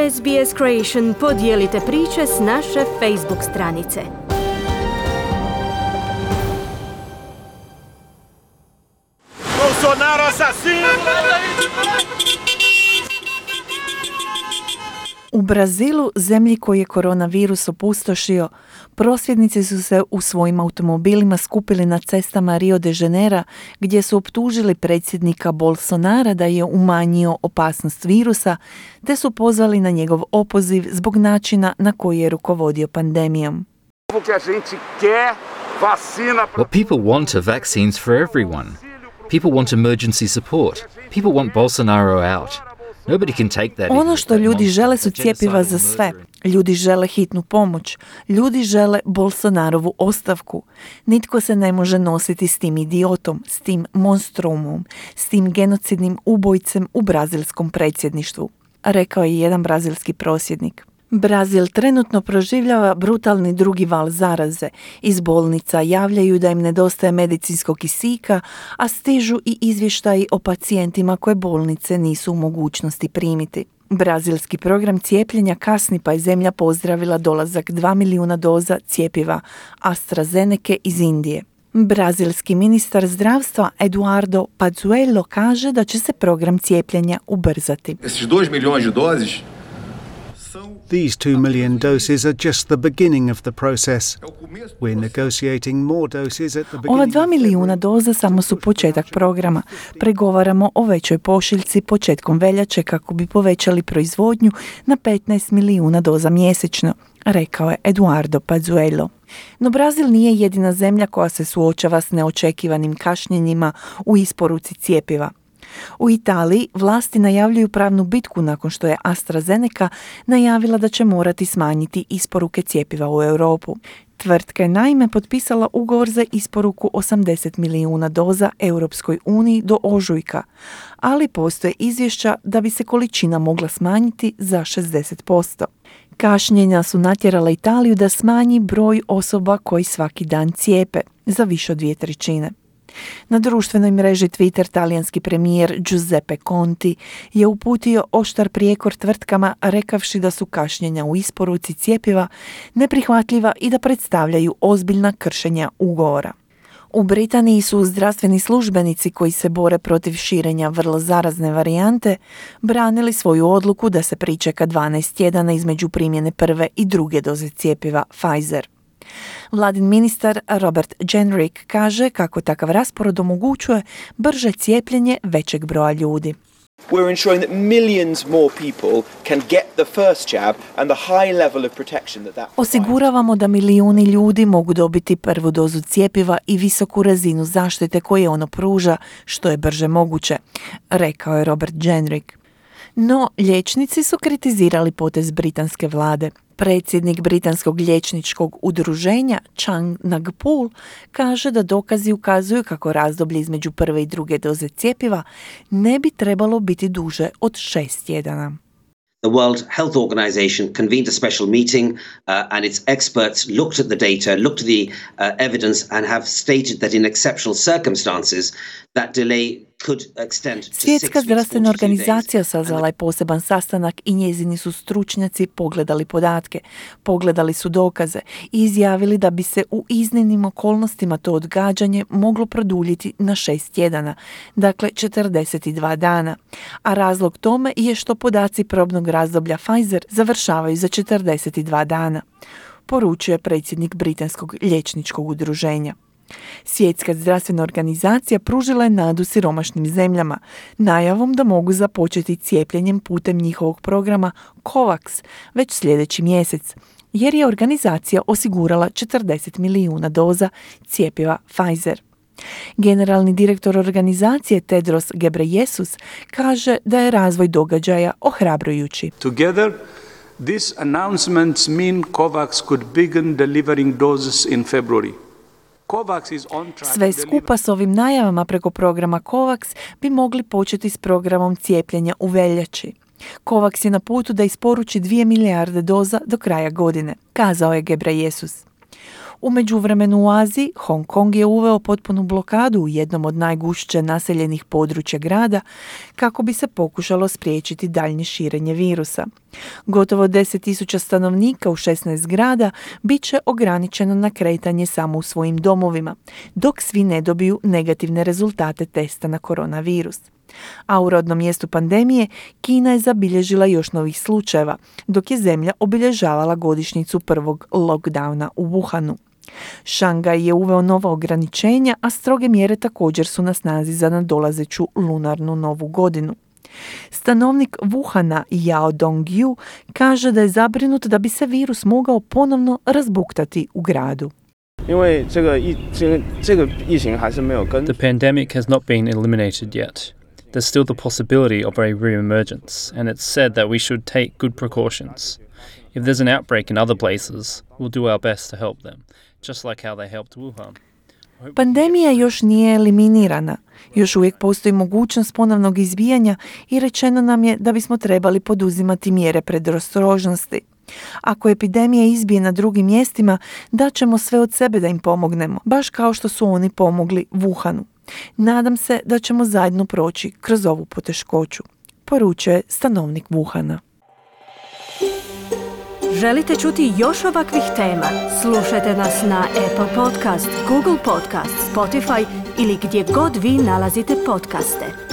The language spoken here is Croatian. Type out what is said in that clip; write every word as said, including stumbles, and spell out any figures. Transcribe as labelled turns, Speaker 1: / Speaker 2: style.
Speaker 1: S B S Creation podijelite priče s naše Facebook stranice.
Speaker 2: Bolsonaro assassino!
Speaker 3: U Brazilu, zemlji koji je koronavirus opustošio, prosvjednici su se u svojim automobilima skupili na cestama Rio de Janeira, gdje su optužili predsjednika Bolsonara da je umanjio opasnost virusa, te su pozvali na njegov opoziv zbog načina na koji je rukovodio pandemijom.
Speaker 4: What people want are vaccines for everyone. People want emergency support. People want Bolsonaro out.
Speaker 3: Ono što ljudi žele su cjepiva za sve. Ljudi žele hitnu pomoć. Ljudi žele Bolsonarovu ostavku. Nitko se ne može nositi s tim idiotom, s tim monstrumom, s tim genocidnim ubojcem u brazilskom predsjedništvu, rekao je jedan brazilski prosvjednik. Brazil trenutno proživljava brutalni drugi val zaraze. Iz bolnica javljaju da im nedostaje medicinskog kisika, a stižu i izvještaji o pacijentima koje bolnice nisu u mogućnosti primiti. Brazilski program cijepljenja kasni, pa je zemlja pozdravila dolazak dva milijuna doza cjepiva AstraZeneca iz Indije. Brazilski ministar zdravstva Eduardo Pazuello kaže da će se program cijepljenja ubrzati.
Speaker 5: Esses dois milhões de doses
Speaker 6: These two million doses are just the beginning of the process. We're negotiating more doses at the beginning.
Speaker 3: Ova dva milijuna doza samo su početak programa. Pregovaramo o većoj pošiljci početkom veljače kako bi povećali proizvodnju na petnaest milijuna doza mjesečno, rekao je Eduardo Pazuello. No Brazil nije jedina zemlja koja se suočava s neočekivanim kašnjenjima u isporuci cjepiva. U Italiji vlasti najavljuju pravnu bitku nakon što je AstraZeneca najavila da će morati smanjiti isporuke cjepiva u Europu. Tvrtka je naime potpisala ugovor za isporuku osamdeset milijuna doza Europskoj uniji do ožujka, ali postoje izvješća da bi se količina mogla smanjiti za šezdeset posto. Kašnjenja su natjerala Italiju da smanji broj osoba koji svaki dan cijepe za više od dvije trećine. Na društvenoj mreži Twitter talijanski premijer Giuseppe Conte je uputio oštar prijekor tvrtkama rekavši da su kašnjenja u isporuci cjepiva neprihvatljiva i da predstavljaju ozbiljna kršenja ugovora. U Britaniji su zdravstveni službenici koji se bore protiv širenja vrlo zarazne varijante branili svoju odluku da se pričeka dvanaest tjedana između primjene prve i druge doze cjepiva Pfizer. Vladin ministar Robert Jenrick kaže kako takav raspored omogućuje brže cijepljenje većeg broja ljudi.
Speaker 7: We're ensuring that millions more people can get the first jab and the high level of protection that that
Speaker 3: Osiguravamo da milijuni ljudi mogu dobiti prvu dozu cjepiva i visoku razinu zaštite koje ono pruža što je brže moguće, rekao je Robert Jenrick. No, liječnici su kritizirali potez britanske vlade. Predsjednik britanskog liječničkog udruženja Chang Nagpul kaže da dokazi ukazuju kako razdoblje između prve i druge doze cjepiva ne bi trebalo biti duže od šest tjedana.
Speaker 8: The World Health Organization convened a special meeting uh, and its experts looked at the data, looked at the uh, evidence and have stated that in exceptional circumstances that delay could extend to
Speaker 3: Svjetska
Speaker 8: six
Speaker 3: zdravstvena
Speaker 8: weeks, forty-two
Speaker 3: organizacija
Speaker 8: days.
Speaker 3: sazvala je poseban sastanak i njezini su stručnjaci pogledali podatke, pogledali su dokaze i izjavili da bi se u iznimnim okolnostima to odgađanje moglo produljiti na šest tjedana, dakle četrdeset dva dana. A razlog tome je što podaci probnog razdoblja Pfizer završavaju za četrdeset dva dana, poručuje predsjednik britanskog liječničkog udruženja. Svjetska zdravstvena organizacija pružila je nadu siromašnim zemljama najavom da mogu započeti cijepljenjem putem njihovog programa COVAX već sljedeći mjesec, jer je organizacija osigurala četrdeset milijuna doza cjepiva Pfizer. Generalni direktor organizacije Tedros Ghebreyesus kaže da je razvoj događaja ohrabrujući.
Speaker 9: Together, these announcements mean COVAX could begin delivering doses in February.
Speaker 3: Sve skupa s ovim najavama preko programa COVAX bi mogli početi s programom cijepljenja u veljači. COVAX je na putu da isporuči dvije milijarde doza do kraja godine, kazao je Ghebreyesus. U međuvremenu u Aziji, Hong Kong je uveo potpunu blokadu u jednom od najgušće naseljenih područja grada kako bi se pokušalo spriječiti daljnje širenje virusa. Gotovo deset tisuća stanovnika u šesnaest grada bit će ograničeno na kretanje samo u svojim domovima, dok svi ne dobiju negativne rezultate testa na koronavirus. A u rodnom mjestu pandemije Kina je zabilježila još novih slučajeva, dok je zemlja obilježavala godišnjicu prvog lockdowna u Wuhanu. Šangaj je uveo nova ograničenja, a stroge mjere također su na snazi za nadolazeću lunarnu novu godinu. Stanovnik Wuhana Yao Dongyu kaže da je zabrinut da bi se virus mogao ponovno razbuktati u gradu.
Speaker 2: The pandemic has not been eliminated yet. There's still the possibility of a re-emergence, and it's said that we should take good precautions. If there's an outbreak in other places, we'll do our best to help them, just like how they helped Wuhan.
Speaker 3: Pandemija još nije eliminirana. Još uvijek postoji mogućnost ponovnog izbijanja i rečeno nam je da bismo trebali poduzimati mjere predostrožnosti. Ako epidemija izbije na drugim mjestima, daćemo sve od sebe da im pomognemo, baš kao što su oni pomogli Wuhanu. Nadam se da ćemo zajedno proći kroz ovu poteškoću, poručuje stanovnik Wuhana.
Speaker 1: Želite čuti još ovakvih tema? Slušajte nas na Apple Podcast, Google Podcast, Spotify ili gdje god vi nalazite podcaste.